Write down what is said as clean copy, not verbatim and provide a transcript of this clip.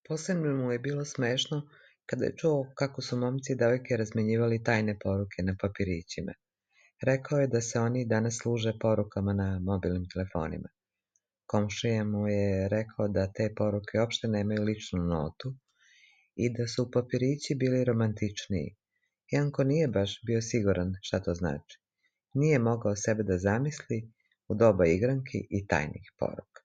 Posebno mu je bilo smešno kada je čuo kako su momci i devojke razmenjivali tajne poruke na papirićima. Rekao je da se oni danas služe porukama na mobilnim telefonima. Komšija mu je rekao da te poruke uopšte nemaju ličnu notu i da su papirići bili romantičniji. Janko nije baš bio siguran šta to znači. Nije mogao sebe da zamisli u doba igranki i tajnih poruka.